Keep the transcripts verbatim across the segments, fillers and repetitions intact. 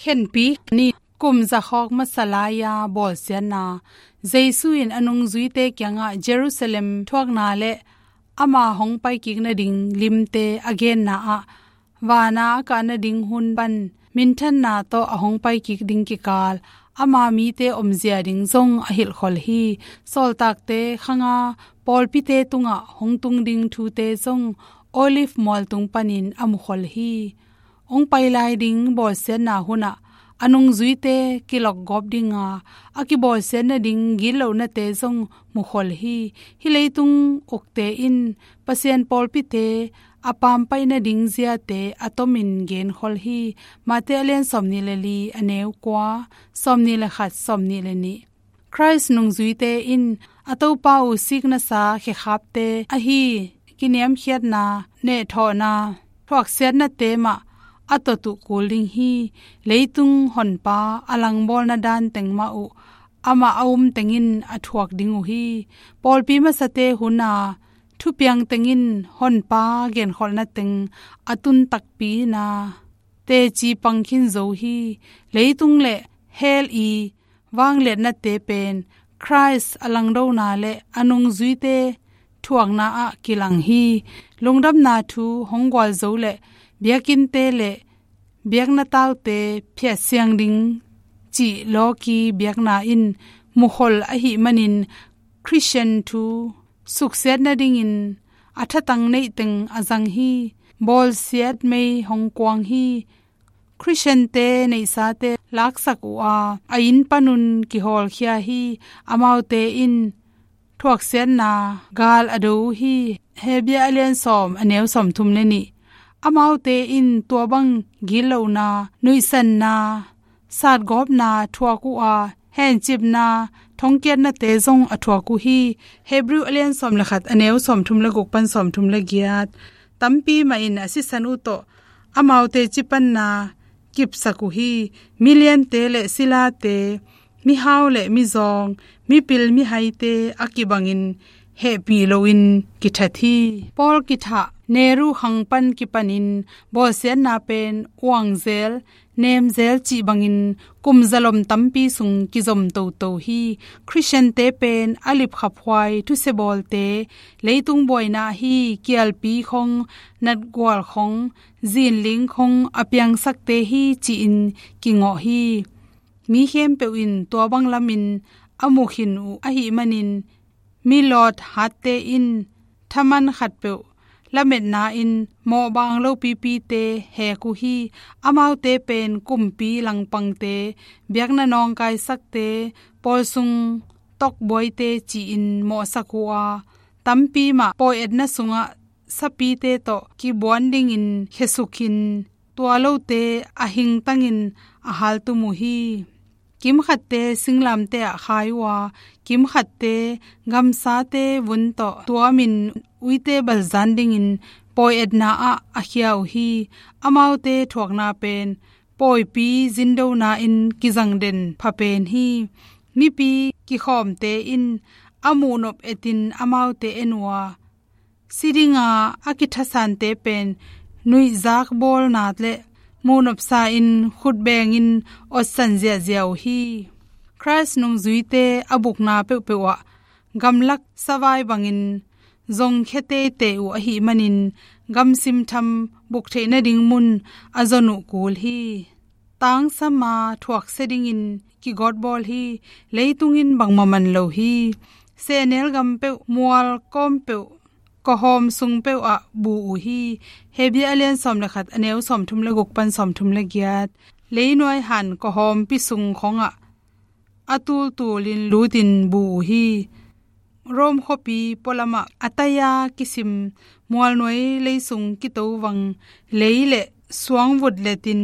Khenpi ni. Kum zakhawk masa lai-a bawlsiatna. Jesu in a nungzuite kiangah Jerusalem thuakna le ama hong paikik nading limte a genna ah, vana a kah nading hun pan minthanna tawh a hong paikik ding kikal ama mite omzia ding zong a hilhkhol hi. Sawltakte khanga pawlpite tungah hong tung ding thute zong Olive mualtung panin a mukhol hi. Hong pai lai ding bawlsiatna hunah a nungzuite kilokgawp dinga a kibawlsiat nading gitlohnate zong mukhol hi. Hih leitung ukte in Pasian pawlpite a pampaih nading ziate a tomin genkhol hi. Mate a lian sawmnih le li, a neu kua, sawmnih le khat, sawmnih le nih. Khrist nungzuite in a Topa uh siknasa khekhapte ahi kiniamkhiatna, nehthawhna, thuaksiatnate mah a tot uh kul ding hi. Leitung honpa a langbawlna dan teng mah uh amah a um tengin a thuak ding uh hi. Pawlpi masate huna thupiang tengin honpa genkholhna teng a tun takpi-in a teci pang khin zo hi. Leitung le hell i vangliatnate pen Khrist a langdona le a nungzuite thuakna ah kilang hi. Lungdamna thu hong gualzo le biakinnte le biakna taute phiatsiang ding cih lawki biakna in mukhol ahih manin Khristian thu suksiat nadingin a thatang neih teng a zang hi. Bawlsiat mei hong kuang hi. Khristiante neihsate laksak uh a, a inn panun kihawlkhia hi. Amaute in thuaksiatna gal a do uh hi. Hebru a lian sawm, a neu sawmthum le nih. Amaute in tua bang gitlohna, nuihsanna, satgawpna thuak uh a, hencipna, thongkiatnate zong a thuak uh hi. Hebru a lian sawm le khat, a neu sawmthum le guk pan sawmthum le giat. Tampi mah in a sisan uh tawh amaute cipanna kipsak uh hi. Miliante le silate, mihau le mizawng, mipil mihaite a kibangin hehpih loin kithat hi. Pawl kithah Nehru khang pan kipanin bawlsiatna pen uangzel, nemzel cih bangin kum zalom tampi sung kizom toto hi. Khristiante pen a lipkhaphuai thusiabawlte, leitung buaina ahi kialpi khong, natgual khong, zinling khong a piangsakte hi ci-in kingawh hi. Mi khempeuh in tua bang lamin a mukhin uh ahih manin, milawt hatte in thaman khatpeuh lametna in mawhbang lopipite hek uh hi. Amaute pen kumpi langpangte, biakna nawngkaisakte, pawl sung tokbuaite ci-in mawhsak uh a, tampi mah pawi etna sungah sapite tawh kibuan dingin khesukhin, tua lote a hingtangin a haltum uh hi. Kimkhatte singlamte ah khai uh a, kimkhatte gamsate vun tawh tuamin uite balzan dingin pawi etna ah a khia uh hi. Amaute thuakna pen pawipi zindona in kizang den pha pen hi. Mipi kikhawmte in a muhnop etin amaute en uh a, si dinga a kithasante pen nuihzak bawlna le muhnopsa in khutbengin otsan ziahziah uh hi. Khrist nungzuite a bukna peuhpeuh ah gamlak savai bangin zongkhia teitei uh ahih manin gamsim tham buk theih nading mun a zon uh kul hi. Tangsama thuaksia dingin kigawtbawl hi. Leitungin bangmah man lo hi. Sehnel gam peuh, mual kawm peuh, kawhawm sung peuh ah bu uh hi. Hebru a lian sawm le khat, a neu sawmthum le guk pan sawmthum le giat. Leinuai han kawhawmpi sung khongah a tultulin lutin bu uh hi. Rome khuapi pualamah a taia kisim mualnuai leisung kitovang lei le suang vutletin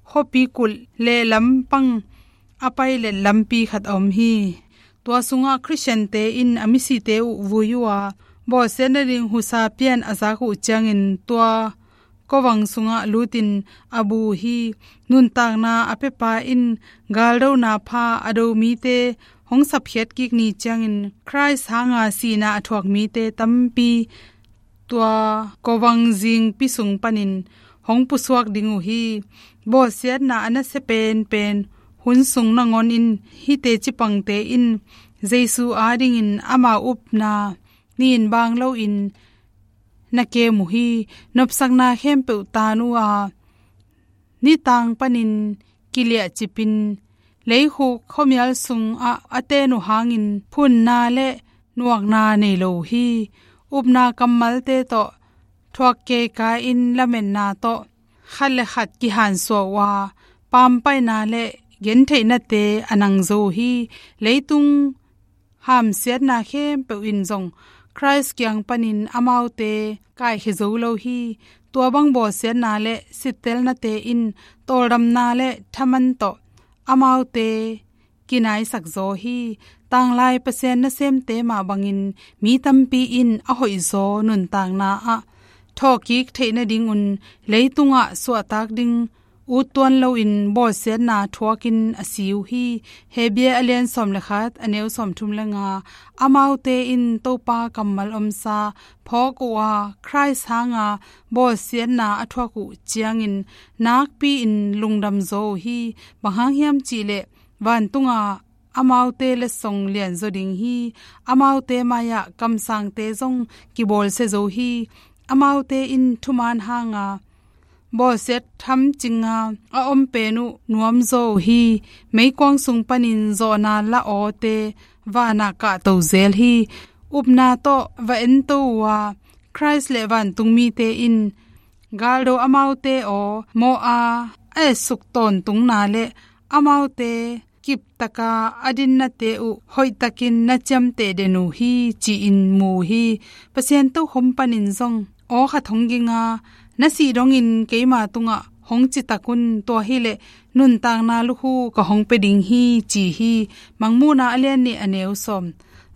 khuapi kulh le lampang a pailet lampi khat a om hi. Tua sungah Khristiante in a misite uh vui uh a, bawlsiat nading husa pian a zak uh ciangin tua kawvang sungah lutin a bu uh hi. Nuntakna a piapa in galdona pha a do mite hong sapkhiat kik ni ciangin Khrist hanga sihna a thuak mite tampi tua kawvang zingpi sung panin hong pusuak ding uh hi. bawlsiatna a nasia penpen hun sung nangawn in hih teci pangte in Jesu adingin amau upna nin baang loin na kem uh hi. Nopsakna khempeuh taan uh a, nitang panin kiliahcipin leikhuk khuamial sungah a ten uh hangin phunna le nuakna nei lo uh hi. Upna kammalte tawh thuak kekai-in lametna tawh khat le khat kihansuah uh a, pampaihna le gentheihnate a nang zo uh hi. Leitung hamsiatna khempeuh in zong Khrist kiang panin amaute kaikhia zo lo hi. Tua bang bawlsiatna le sittelnate in tawldamna le thaman tawh amaute kinaisak zaw hi. Tanglai Pasian nasemte mah bangin mi tampi in a hoihzaw nuntakna ah thawhkik theih nadingun leitungah suahtak ding ut tuan loin bawlsiatna thuakin a si uh hi. Hebru a lian sawm le khat, a neu sawmthum le nga. Amaute in Topa kammal omsa phawk uh a, Khrist hanga bawlsiatna a thuak uh ciangin nakpi-in lungdam zaw uh hi. Bang hang hiam cihleh vantunga amaute letsong lianzaw ding hi. Amaute mai-ah kamsangte zong kibawlsia zo hi. Amaute in thumaan hanga bawlsiat thamcinga a om pen uh nuamzaw uh hi. Meikuang sung panin zawhna la awte vanah kahto zel hi. Upna tawh va ento uh a, Khrist le vantung mite in galdo amaute aw mawh a, a etsuk tawntungna le amaute kiptaka a dinnate uh hoihtakin na ciamteh den uh hi, ci-in mu uh hi. Pasian tokhom panin zong aw khat hong ging a, na sih dongin keima tungah hong citak un, tua hileh nuntakna lukhu ka hong pia ding hi, ci hi. Mangmuhna a lian nih, a neu sawm.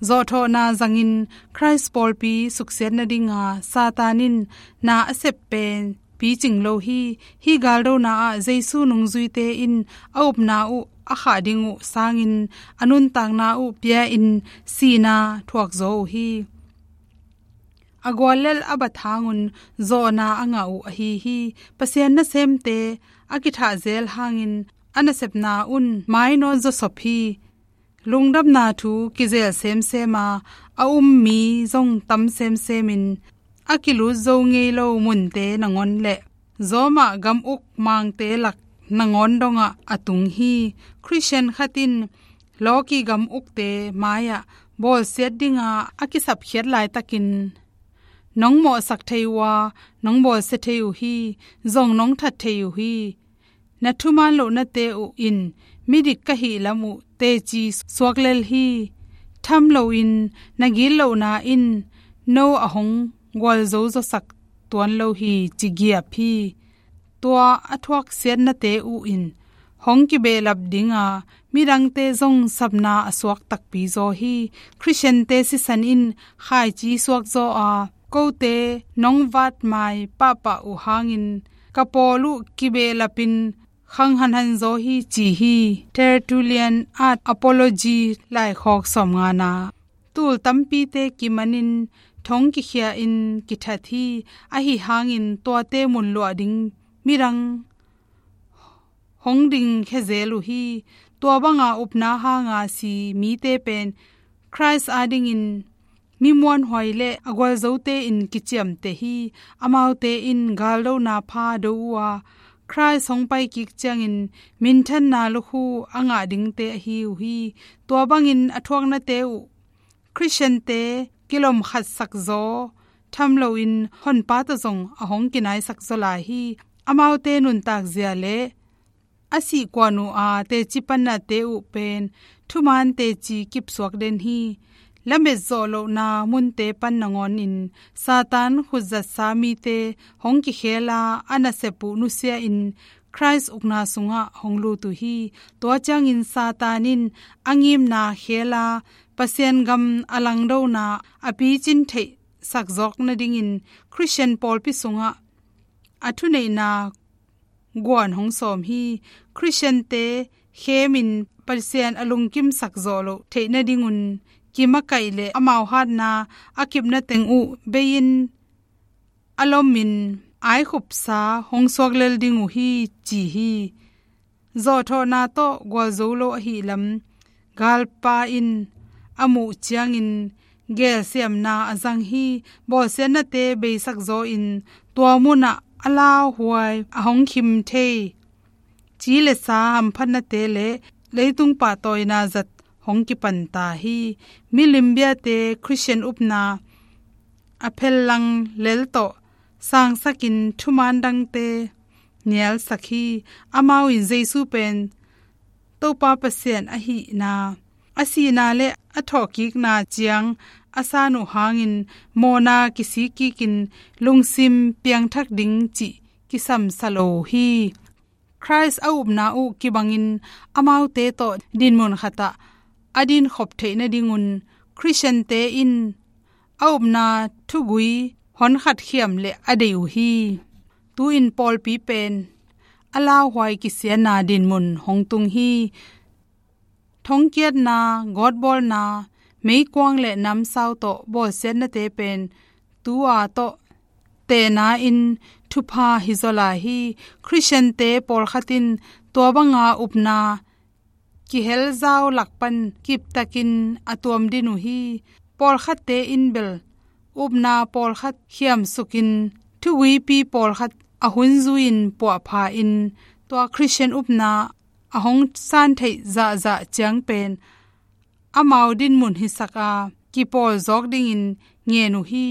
Zawhthawhna zangin Khrist pawlpi suksiat nadinga Satan in na a sep pen picing lo hi. Hih galdona ah Jesu nungzuite in a upna uh a khah ding uh sangin a nuntakna uh pia-in sihna thuakzaw uh hi. A guallel a bat hangun zawhna a ngah uh ahi hi. Pasian nasemte a kithahzel hangin a nasepna un mainawt zawsop hi. Lungdamna thu kizel semsem a, a um mi zong tam semsemin a kilut zo ngei lo munte nangawn le zawmah gam uk mangte lak nangawn dongah a tung hi. Khristian khat in lawki gam ukte mai-ah bawlsiat dinga a kisapkhiat laitakin nong mawhsak thei uh a, nong bawlsia thei uh hi, zong nong that thei uh hi. Na thuman lohnate uh in midik ka hih lam uh teci suak lel hi. Tham loin na gitlohna in no a hong gualzo zawsak tuan lo hi, ci giap hi. Tua a thuaksiatnate uh in hong kibehlap dinga midangte zong sapna a suak takpi zaw hi. Khristiante sisan in khaici suak zaw a, kote nong vatmai pahpah uh hangin ka pawl uh kibehlapin khang hanhan zaw hi, ci hi. Tertullian at Apology laikhawk sawmngana. Tul tampite kimanin thong kikhia-in kithat hi. Ahi hangin tuate munluah ding midang hong dingkhia zel uh hi. Tua banga upna hanga si mite pen Khrist adingin mi muanhuai le a gualzote in kiciamteh hi. Amaute in galdona pha do uh a, Khrist hong paikik ciangin minthanna lukhu a ngah dingte ahi uh hi. Tua bangin a thuaknate uh Khristiante kilomkhatsak zaw tham loin Honpa tawh zong a hong kinaisak zaw lai hi. Amaute nuntak zia le a sihkuan uh a teci pannate uh pen thuman teci kipsuak den hi. Lamet zawh lohna munte pan nangawnin Satan khutzatsa mite hong kikhela a nasep uh nusia-in Khrist ukna sungah hong lut uh hi. Tua ciangin Satan in a ngimna khela Pasian gam a langdona a picin theihsak zawk nadingin Khristian pawlpi sungah a thuneihna guan hong sawm hi. Khristiante khemin Pasian a lungkimsak zawh loh theih nadingun kimakaih le amau hatna a kipna teng uh bei-in a lomin aikhupsa hong suak lel ding uh hi, ci hi. Zawhthawhna tawh gualzo lo ahih lam galpa in a muh ciangin gelsiamna a zang hi. Bawlsiatnate beisak zawin tua munah a lauhuai a hong khim thei ci le sa hamphatnate le leitung pahtawina zat hong kipanta hi. Milim biate Khristian upna a phellang lel tawh sangsakin thuman dangte nialsak hi. Amau in Jesu pen Topa Pasian ahihna, a sihna le a thawhkikna ciang a san uh hangin mawhna kisik kikin lungsim piangthak ding cih kisamsa lo hi. Khrist a upna uh kibangin amaute tawh dinmun khatah a dinkhop theih nadingun Khristiante in a upna thugui honkhat khiam le a deih uh hi. Tu-in pawlpi pen a lauhuai kisiatna dinmun hong tung hi. Thongkiatna, gawtbawlna, meikuang le namsau tawh bawlsiatnate pen tua tawh tehna in thupha hi zaw lai hi. Khristiante pawlkhat in tua banga upna kihelzau lakpan kiptakin a tuam din uh hi. Pawlkhatte in bel upna pawlkhat khiamsukin thuguipi pawlkhat a hun zui-in puahpha in tua Khristian upna a hong san theih zahzah ciang pen amau dinmun hisak a kipawl zawk dingin ngen uh hi.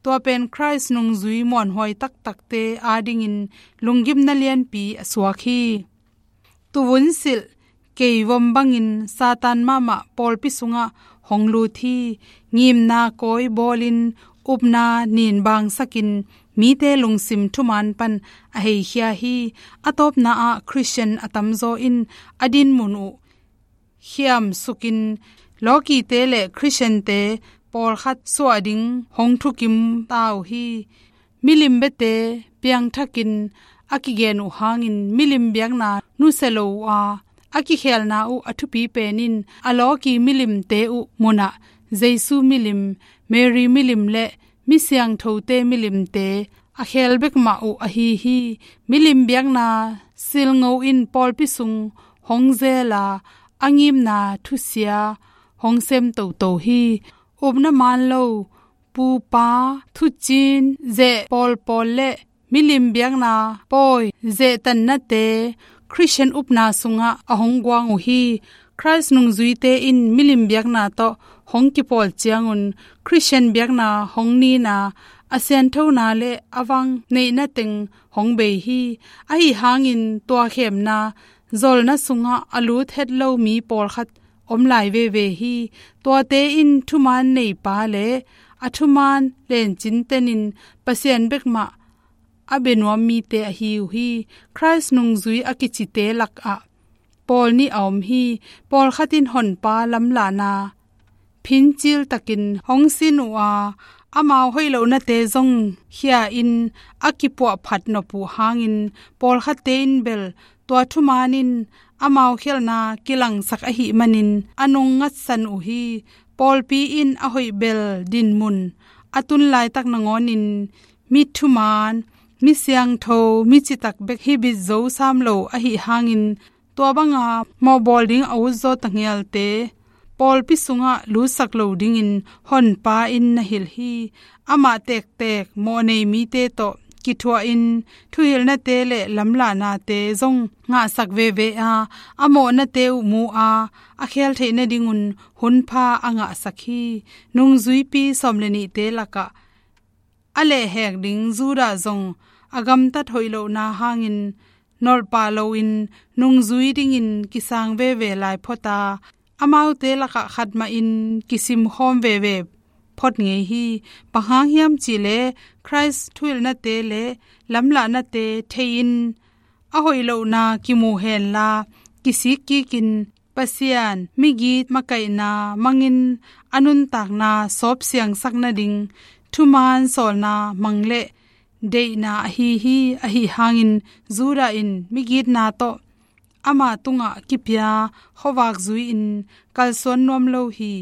Tua pen Khrist nungzui muanhuai taktakte adingin lunggimna lianpi a suak hi. Tuvun silh keivom bangin Satan mahmah pawlpi sungah hong lut hi. Ngimna kawi bawlin upna nin bangsakin mite lungsim thuman pan a heikhia hi. A tawpna ah Khristian a tamzaw in a dinmun uh khiamsukin lawkite le Khristiante pawlkhat suah ding hong thukim ta uh hi. Milim biate piangthakin a kigen uh hangin milim biakna nusia lo uh a, a kikhelna uh a thupi pen in a lawki milimte uh munah Jesu milim, Mary milim le mi siangthote milimte a khel bek mah uh ahi hi. Milim biakna silngo in pawlpi sung hong zel a, a ngimna thusia hong sem toto hi. Upna man lo pupa, thucin, zeh pawlpawl le milim biakna pawi zehtannate Khristian upna sungah a hong guang uh hi. Khrist nungzuite in milim biakna tawh hong kipawl ciangun Khristian biakna hong nina, a sianthona le a vang neihna teng hong bei hi. Ahi hangin tua khemna zolna sungah a lut het lo mi pawlkhat om lai veve hi. Tuate in thuman neipa le a thuman lencin tenin Pasian bek mah a bia nuam mite ahi uh hi. Khrist nungzui a kicite lakah pawl nih a om hi. Pawlkhat in honpa lamlahna phincil takin hong sin uh a, amau hoih lohnate zong khia in a kipuahphat nop uh hangin pawlkhatte in bel tua thuman in amau khialhna kilangsak ahih manin a nung ngatsan uh hi. Pawlpi in a hoih bel dinmun a tun laitak nangawnin mi thuman, mi siangtho, mi citak bek hi bit zo sam lo ahi hangin tua banga mawhbawl ding a utzaw tangialte pawlpi sungah lutsak lo dingin honpa in na hilh hi. Amah tektek mawhnei mite tawh kithuahin thuhilhnate le lamlahnate zong ngahsak veve a, a mawhnate uh mu a, a khel theih nadingun hunpha a ngahsak hi. Nungzuipi sawm le nihte lakah a lehhek ding Judah zong a gamtat hoih lohna hangin nolhpah loin nungzui dingin kisang veve lai phot a, amaute lakah khat mahin kisimkhawm veve phot ngei hi. Bang hang hiam cihleh Khrist thuhilhnate le lamlahnate thei-in a hoih lohna kimu henla kisik kikin Pasian migit makaihna mangin a nuntakna sawpsiangsak nading thuman sawlna mang le deihna ahi hi. Ahi hangin Judah in migitna tawh ama tungah kipia khuavak zui-in kalsuan nuam lo hi.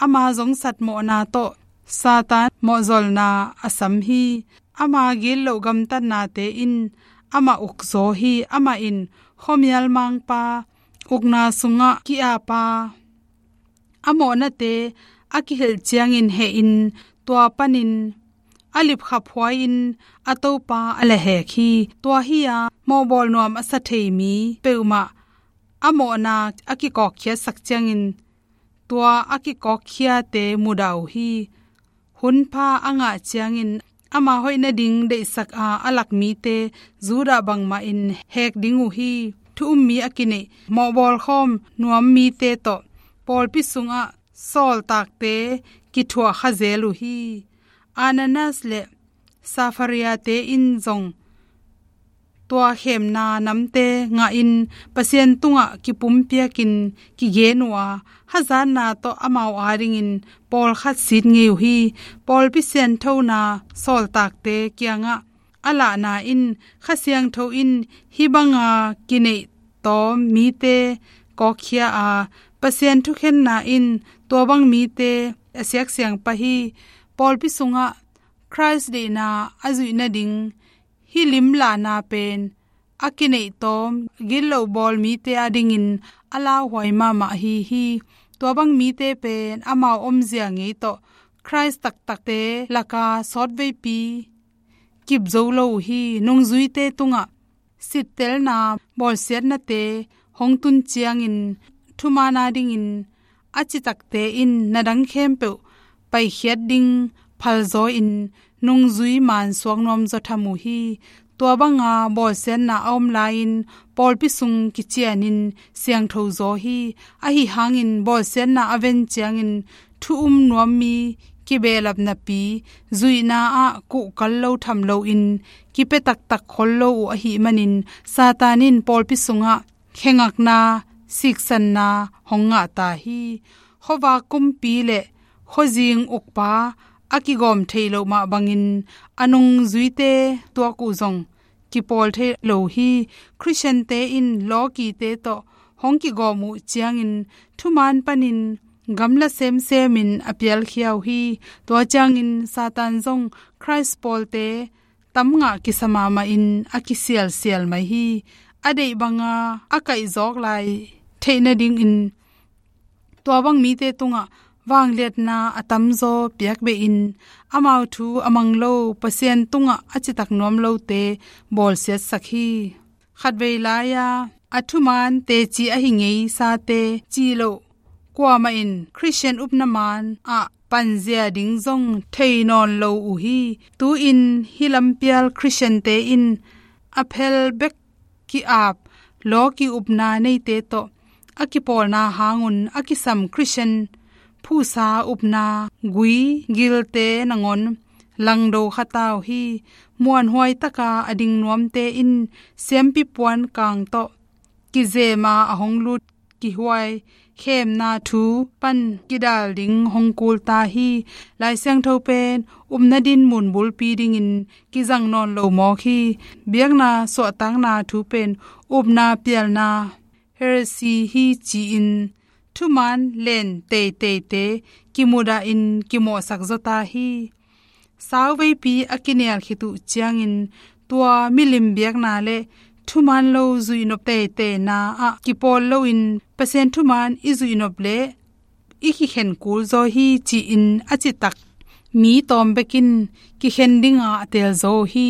Ama zongsat mawhna tawh Satan mawhzolna a sam hi. ama gitloh gamtatnate in amah ukzaw hi. Amah in khuamial mangpa, ukna sungah ki-apa, a mawhnate a kihilh ciangin hehin, tua panin a lipkhaphuai-in a Topa a lehhek hi. Tua hi-a mawhbawl nuam a sa thei mi peuhmah a mawhna a kikawkkhiatsak ciangin, tua a kikawkkhiate mudah uh hi. Hunpha a ngah ciangin ama hoih nading deihsak a a lak mite Judah bangmahin hek ding uh hi. Thu-um mi a kineih, mawhbawlkhawm nuam mite tawh pawlpi sungah sawltakte kithuah kha zel uh hi. Ananias le Saphariate in zong tua khemna namte ngahin Pasian tungah kipumpiakin kigen uh a, hazatna tawh amau adingin pawlkhat sit ngei uh hi. Pawlpi sianthona sawltakte kiangah a lahna in Kha Siangtho in hih banga kineih tawm mite kawkkhia a, Pasian thukhenna in tua bang mite a siaksiang pah hi. Pawlpi sungah Khrist deihna a zuih nading hih limlahna pen a kineih tawm gitloh bawl mite adingin a lauhuai mahmah ahi hi. Tua bang mite pen amau omzia ngei tawh Khrist taktakte laka sawtveipi kip zo lo uh hi. Nungzuite tungah sittelna, bawlsiatnate hong tun ciangin thumaan adingin a citakte in na dang khempeuh paikhiat ding phalzaw-in nungzui maan suak nuamzaw tham uh hi. Tua banga bawlsiatna a om lai-in pawlpi sung kicianin siangtho zaw hi. Ahi hangin bawlsiatna a ven ciangin thu-um nuam mi kibehlap napi zuihna ah kuhkal lo tham loin kipia taktak khol lo uh ahih manin Satan in pawlpi sungah khengakna, siksanna hong ngah ta hi. Khuavak kumpi le khuazing ukpa a kigawm theih loh mah bangin a nungzuite tuak uh zong kipawl thei lo hi. Khristiante in lawkite tawh hong kigawm uh ciangin thumaan panin gamla semsemin a pialkhia uh hi. Tua ciangin Satan zong Khrist pawlte tam ngah kisa mahmahin a kisialsial mai hi. A deih banga a kaihzawk lai theih nadingin tua bang mite tungah vangliatna a tamzaw piakbehin amau thu a mang lo, Pasian tungah a citak nuam lote bawlsiatsak hi. Khatvei lai-a a thumaan teci ahi ngei sate cih loh kuamah in Khristian upna maan ah panzia ding zong thei nawn lo uh hi. Tu-in hih lampial Khristiante in a phel bek ki-ap, lawki upna neite tawh a kipawlna hangun a kisam Khristian phuhsa upna gui gilte nangawn langdo kha ta uh hi. Muanhuai taka a ding nuamte in siampi puan kang tawh kizema a hong lut kihuai khemna thu pan kidal ding hong kul ta hi. Lai Siangtho pen upna dinmun bulpi dingin kizang nawn lo mawk hi. Biakna suahtakna thu pen upna pialna heresy hi ci-in thumaan len teiteite kimudahin kimawhsak zaw ta hi. Sauveipi a kinial khit uh ciangin tua milim biakna le thumaan lo zuihnop teiteina ah kipawl loin Pasian thumaan i zuihnop le i kikhen kul zaw hi ci-in a citak mi tawm bekin kikhen dinga a teel zaw uh hi.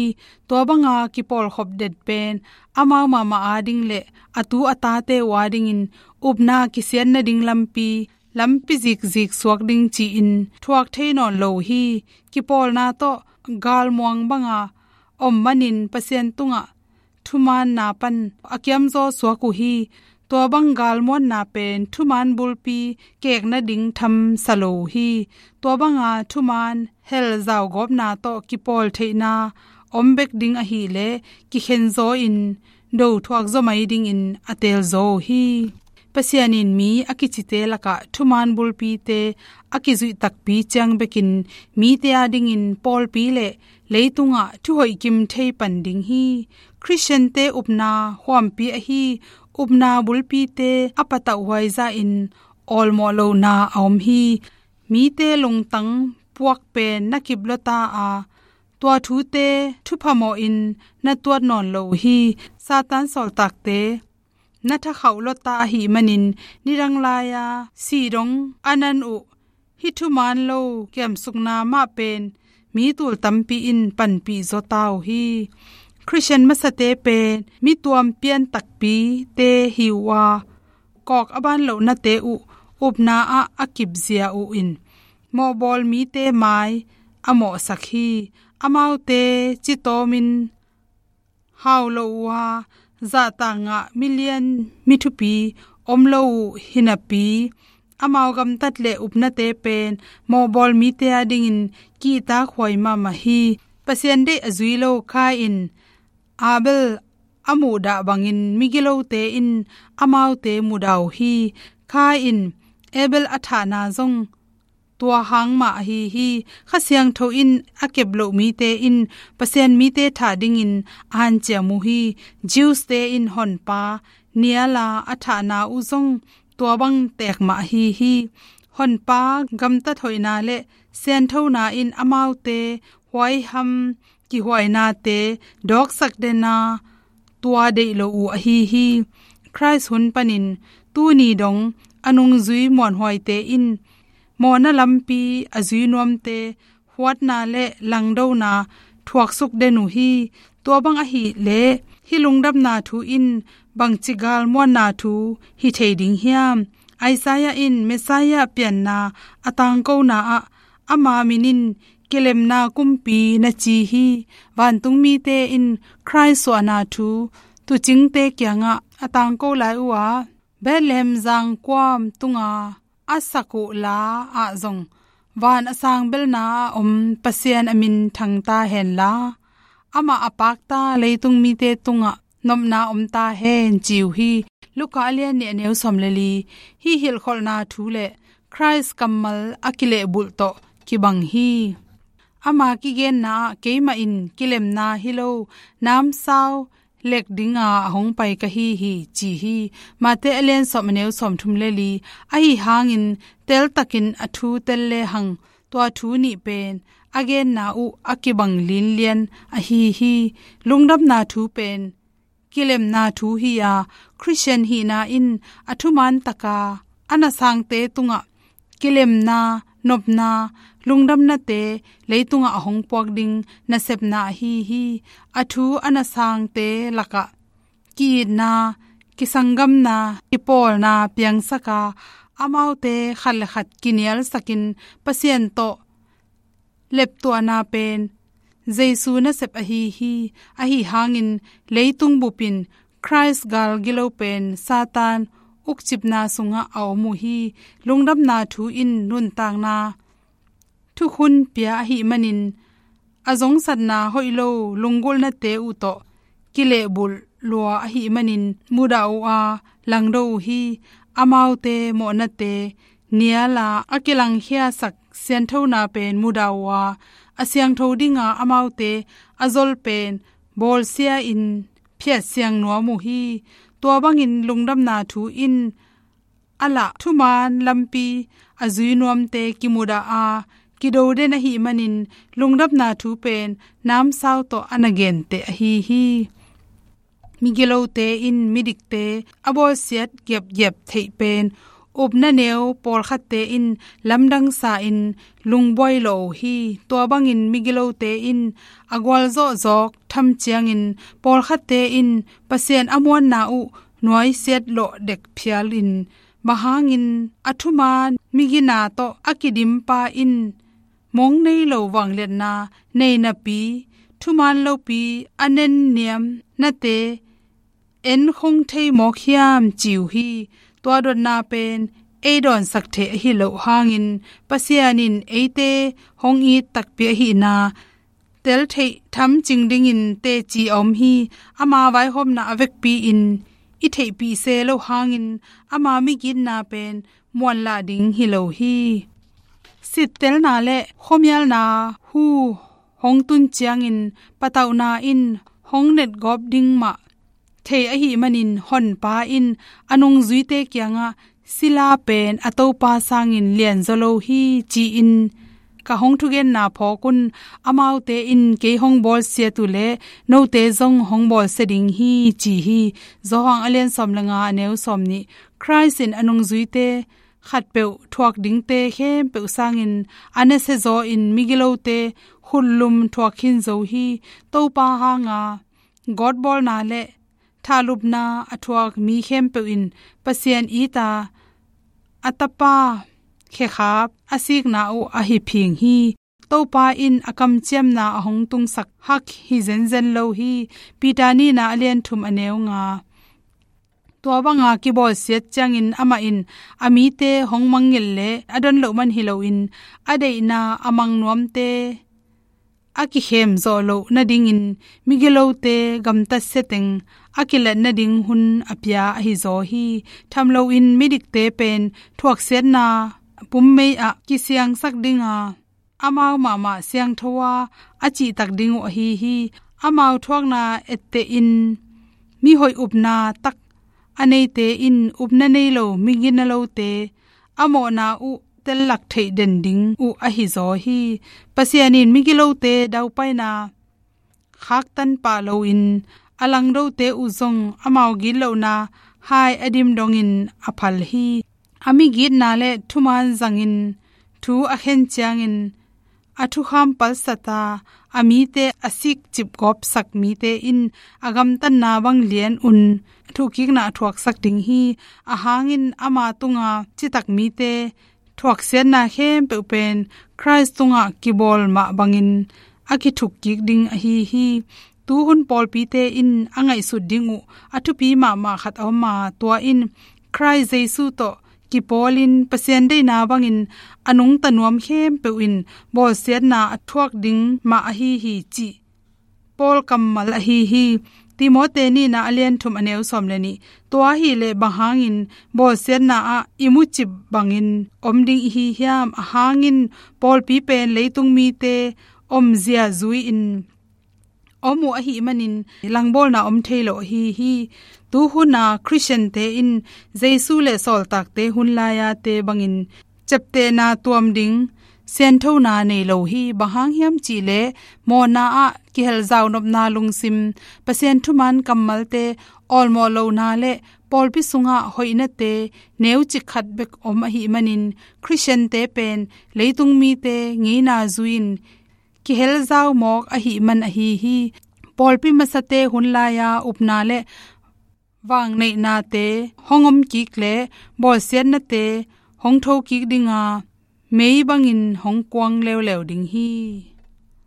Tua banga kipawlkhop den pen amau mahmah ading le a tu a tate uh adingin upna kisiat nading lampi, lampi zikzik suak ding ci-in thuak thei nawn lo uh hi. Kipawlna tawh galmuang banga om manin Pasian tungah thumaanna pan a kiamzaw suak uh hi. Tua bang galmuanna pen thumaan bulpi kek nading tham sa lo uh hi. Tua banga thumaan hel zaugawpna tawh kipawl theihna om bek ding ahileh kikhen zaw-in do thuak zaw mai dingin a teel zaw uh hi. Pasian in mi a kicite lakah thumaan bulpite a kizuih takpi ciang bekin mite adingin pawlpi le leitungah thuhoih kim thei pan ding hi. Khristiante upna huampi ahi upna bulpite a patauhhuai zahin awlmawh lohna a om hi. Mite lungtang puak pen na kip lua ta a, tua thute thupha mawhin na tuat nawn lo uh hi. Satan sawltakte na thakhauh lawta ahih manin, nidang lai-a sih dong a nan uh hih thuman lo kiamsukna mah pen mi tul tampi in panpih zaw ta uh hi. Khristian masate pen mi tuam pian takpite hi uh a, kawk a ban lohnate uh upna ah a kipzia uh in mawhbawl mite mai a mawhsak hi. Amaute citawmin hau lo uh a, zahtak ngah milian mi thupi om lo uh hi napi, amau gamtat le upnate pen mawhbawl mite adingin kihtakhuai mahmah hi. Pasian deih a zui lo Khain Abel a muhdah bangin migilote in amaute mudah uh hi. Khain Abel a thahna zong tua hang mah ahi hi. Kha Siangtho in a kep loh mite in Pasian mite thah dingin a hanciam uh hi. Jews-te in Honpa niala a thahna uh zong tua bang tek mah ahi hi. Honpa gamtat hoihna le sianthona in amaute huaiham kihuainate dawksak dena tua deih lo uh ahi hi. Khrist hun panin tuni dong a nungzui muanhuaite in mawhna lampi a zui nuamte huatna le langdona thuaksuk den uh hi. Tua bang ahih leh hih lungdamna thu in bangci galmuanna thu hi thei ding hiam? Isaiah in Messiah pianna a tangkona ah ama min in kilemna kumpi na ci hi. Vantung mite in Khrist suahna thu tuucingte kiangah a tangko lai uh a, Bethlehem zangkuam tunga a sak uh la ah zong van a sang belna a om Pasian a min thang ta hen la, amah a pakta leitung mite tungah nopna om ta hen ci uh hi. Luka a lian nih a neu sawm le li. Hih hilhkholhna thu le Khrist kammal a kilehbulh tawh kibang hi. Ama kigenna ah keimah in kilemna hi lo, namsau lek dinga a hong pai ka hi hi ci hi. Mate a lian sawm a neu sawm thum le li. Ahi hangin teltakin a thu tel lehang tua thu nih pen a genna uh a kibang linlian ahi hi. Lungdamna thu pen kilemna thu hi a, Khristian hihna in a thuman taka a nasangte tungah kilemna, nopna, lungdamnate leitungah a hong puak ding nasepna ahi hi. A thu a nasangte lakah ki-itna, kisanggamna, kipawlna piangsak a, amaute khat le khat kinialsakin Pasian tawh leptuahna pen Jesu nasep ahi hi. Ahi hangin leitung bupin Khrist gal gilo pen Satan ukcipna sungah a om uh hi. Lungdamna thu in nuntakna thukhun pia ahih manin a zongsatna hoih lo lunggulhnate uh tawh kilehbulh lua ahih manin mudah uh a langdo uh hi. Amaute mawhnate niala a kilangkhiasak sianthona pen mudah uh a, a siangtho dinga amaute a zol pen bawlsia-in phiatsiang nuam uh hi. Tua bangin lungdamna thu in a lah thuman lampi a zui nuamte kimudah a kido den ahih manin lungdamna thu pen namsau tawh a na genteh ahi hi. Migilote in midikte a bawlsiat giapgiap theih pen upna neu pawlkhatte in lamdang sa-in lungbuai lawh uh hi. Tua bangin migilote in a gualzawh zawk tham ciangin pawlkhatte in Pasian a muanna uh nuaisiat lawh dek phialin, bang hangin a thuman migina tawh a kidimpa in mong nei lo vangliatna nei napi, thuman lopi a nenniamnate en khong thei mawk hiam ci uh hi. Tua dotna pen ei dawnsak theih ahi loh hangin Pasian in eite hong it takpi ahihna tel theih thamcing dingin teci a om hi. Ama vaihawmna a vekpi-in i theihpih se loh hangin ama migitna pen muanlah ding hi lo hi. Sittelna le khuamialna hu hong tun ciangin patauhna in hong netgawp ding mah thei ahih manin Honpa in a nungzuite kiangah sila pen a topa sangin lianzaw lo hi ci-in ka hong thugenna phawk un, amaute in kei hong bawlsiat uh leh note zong hong bawlsia ding hi, ci hi. Johan a lian sawm le nga, a neu sawmnih. Khrih in a nungzuite khatpeuh thuak dingte khempeuh sangin a nasia zaw in migilote khutlum thuak khin zo hi. Topa hanga gawtbawlna le thahlupna a thuak mi khempeuh in Pasian it a, a Tapa khekhap a sikna uh a hi phing hi. Topa in a kamciamna a hong tungsak hak hi zenzen lo hi. Peter nihna a lian thum, a neu nga. Tua banga kibawlsiat ciangin amah in a mite hong mangngilh le a don loh man hi loin, a deihna a mang nuamte a kikhem zawh loh nadingin migilote gamtatsia teng a kilat nading hun a pia ahi zaw hi. Tham loin midikte pen thuaksiatna pummei ah kisiangsak dinga amau mahmah siangtho a, a cihtak ding uh ahi hi. Amau thuakna ettehin mihoih upna tak a neite in upna nei lo miginalote a mawhna uh tellak theih den ding uh ahi zaw hi. Pasian in migilote daupaina khaktan pah loin a langdote uh zong amau gitlohna hai a dim dongin a phal hi. A migitna le thuman zangin thu a khen ciangin a thukham palsat a, a mite a sikcip gawpsak mite in a gamtatna bang lian un thuhkikna a thuaksak ding hi. Ahang in ama tunga citak mite thuaksiatna khempeuh pen Khrih tungah kibawl mah bangin a kithukkik ding ahi hi. Tuhun pawlpite in a ngaihsut ding uh a thupi mahmah khat a om a, tua in Khrih Jesu tawh kipawlin Pasian deihna bangin a nungta nuam khempeuh in bawlsiatna a thuak ding mah ahi hi, cih Paul kammal ahi hi. Timote nihna a lian thum, a neu sawm le nih. Tua ahih leh bang hangin bawlsiatna ah i mucip bangin om ding i hi hiam? Ahang in pawlpi pen leitung mite omzia zui-in om uh ahih manin langbawlna om thei lo ahi hi. Tuhuna Khristiante in Jesu le sawltakte hun lai-ate bangin ciaptehna tuam ding sianthona nei lo hi. Bang hang hiam cih leh mawhna ah kihel zaunopna lungsim, Pasian thuman kammalte awlmawh lohna le pawlpi sungah hoihnate neucik khat bek om ahih manin Khristiante pen leitung mite ngeina zui-in kihel zau mawk ahih man ahi hi. Pawlpi masate hun lai-a upna le vangneihnate hong om kik le bawlsiatnate hong tho kik dinga mei bangin hong kuang leuleu ding hi.